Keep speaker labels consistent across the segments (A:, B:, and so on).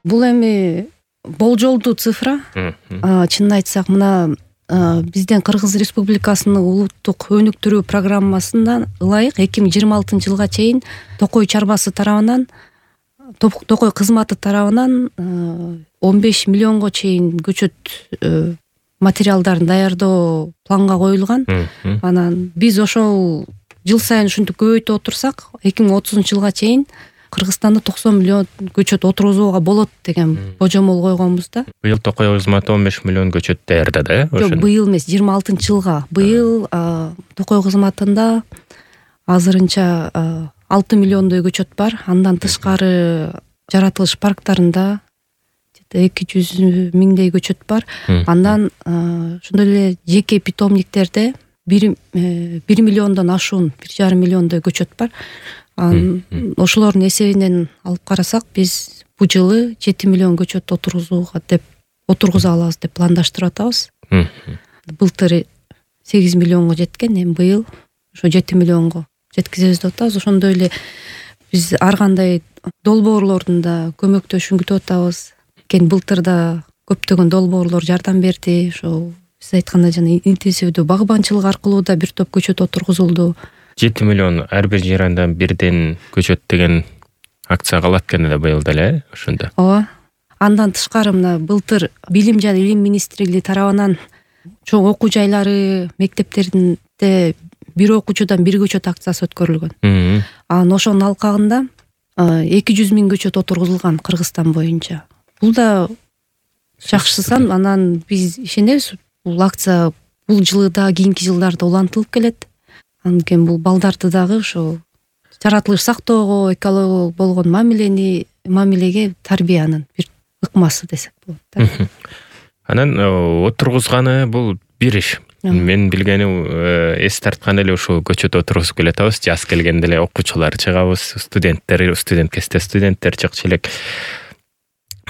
A: Бул эми болжолдуу цифра. Чынын айтсак, мына биздин Кыргыз Республикасынын улуттук өнүктүрүү программасынан ылайык 2026 жылга чейин Токой чарбасы тарабынан, Токой кызматы тарабынан 15 миллионго чейин көчөт материалдарын даярдоо планга коюлган. Анан биз ошол жыл сайын ушинтип көбөйтүп отурсак, 2030 жылга чейин Кыргызстанда 90 миллион көчөт отургузууга болот деген божомол койгонбуз да.
B: Быйыл Токой кызматы 15 миллион көчөт даярдады, э?
A: Жок, быйыл эмес, 26 жылга. Быйыл Токой кызматында азырынча 6 миллиондой көчөт бар. Андан тышкары жаратылыш парктарында 200 миңдей көчөт бар. Андан ошондой эле жеке питомниктерде 1 миллиондон ашуун, 1,5 миллиондой көчөт бар. Ошолордун эсебинен алып карасак, биз бул жылы 7 миллион көчөт отургуза алабыз деп пландаштырып атабыз. Былтыр 8 миллионго жеткен, эми быйыл ошо 7 миллионго жеткизебиз деп атабыз. Ошондой эле биз ар кандай долбоорлордун да көмөктөшүн күтүп атабыз. Былтыр да көптөгөн долбоорлор жардам берди. Ошо биз айткандай жана интенсивдүү багбанчылык аркылуу да бир топ көчөт отургузулду. 7 миллион ар бир жарандан бирден көчөт деген акция калат экен да быйыл деле, ошондо. Ооба. Андан тышкары мына былтыр Билим жана Илим министрлиги тарабынан чоң окуу жайлары, мектептеринде бир окуучудан бир көчөт акциясы өткөрүлгөн. Анан ошонун алкагында 200 миң көчөт отургузулган Кыргызстан боюнча. Бул да жакшы сан. Анан биз ишенебиз, бул акция бул жылы да кийинки жылдарда улантылып келет. Анткени бул балдарды дагы ошо жаратылыш сактоого, экологияга болгон мамилеге тарбиянын бир ыкмасы десек болот да.
B: Анан отургузганы бул бир иш. Мен билгени эс тарткан эле ушул көчөт отургузуп келатабыз. Жаз келгенде эле окуучулар чыгабыз, студент кезде студенттер чыкчу элек.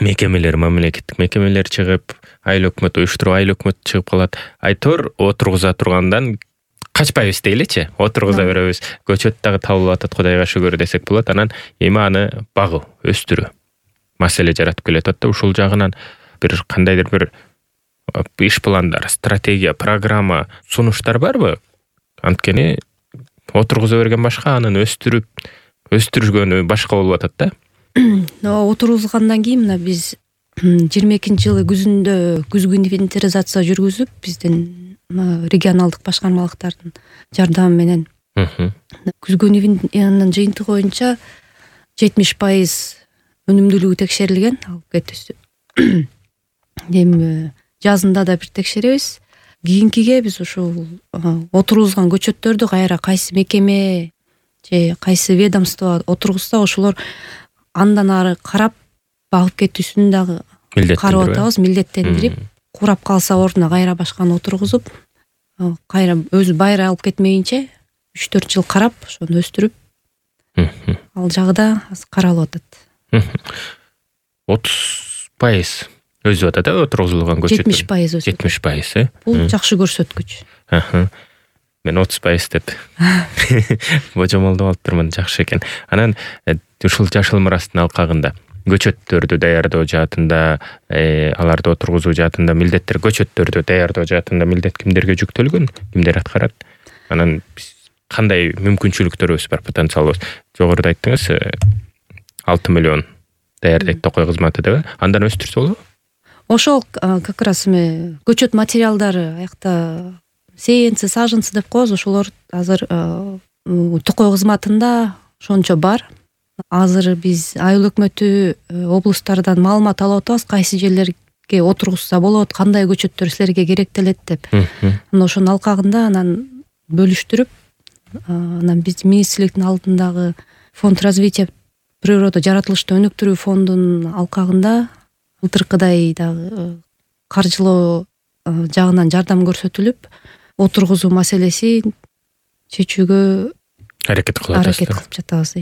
B: Мекемелер, мамлекеттик мекемелер чыгып, айыл өкмөт уюштуруп, айыл өкмөт чыгып калат. Айтор отургуза тургандан качпайбыз дейличи, отургуза беребиз. Көчөт дагы табылып атат, Кудайга шүгүр десек болот. Анан эми аны багуу, өстүрүү маселе жаратып келет да. Ушул жагынан бир кандайдыр бир иш пландар, стратегия, программа, сунуштар барбы? Анткени отургуза берген башка, анын өстүргөнү башка болуп атат да.
A: Отургузгандан кийин мына биз 22-жылы күзүндө күзгү инвентаризация жүргүзүп, биздин регионалдык башкармалыктардын жардамы менен күзгү инвентаризациянын жыйынтыгы боюнча 70% өнүмдүүлүгү текшерилген. Алып кетти. Эми жазында да бир текшеребиз. Кийинкиге биз ушул отургузган көчөттөрдү кайра кайсы мекеме же кайсы ведомство отургузса, ошолор андан ары карап багып кетүүсүн дагы карап атабыз, милдеттендирип, курап калса ордуна кайра башканы отургузуп, кайра өзү байра алып кетмейинче 3-4 жыл карап, ошону өстүрүп, ал жагы да каралып атат.
B: 30% өзүп атат да отургузулган көчөт.
A: 70% өзүп.
B: 70%,
A: Бул жакшы көрсөткүч.
B: Мен 30% деп божомолдоп алыптырмын, жакшы экен. Анан ушул жашыл мурастын алкагында көчөттөрдү даярдоо жаатында, аларды отургузуу жаатында милдеттер, көчөттөрдү даярдоо жаатында милдет кимдерге жүктөлгөн, кимдер аткарат? Анан биз кандай мүмкүнчүлүктөрүбүз бар, потенциалыбыз? Жогоруда айттыңыз, 6 миллион даярдайт Токой кызматы деп. Андан өстүрсө болобу?
A: Ошол как раз эми көчөт материалдары аякта сеянцы, саженцы деп коебуз. Ошолор азыр Токой кызматында ошончо бар. Азыр биз айыл өкмөтү облустардан маалымат алып атабыз, кайсы жерлерге отургузса болот, кандай көчөттөр силерге керектелет деп. Анан ошонун алкагында анан бөлүштүрүп, анан биз министрликтин алдындагы фонд развития природа жаратылышты өнүктүрүү фондунун алкагында былтыркыдай дагы каржылоо жагынан жардам көрсөтүлүп, отургузуу маселесин чечүүгө аракет кылып жатабыз.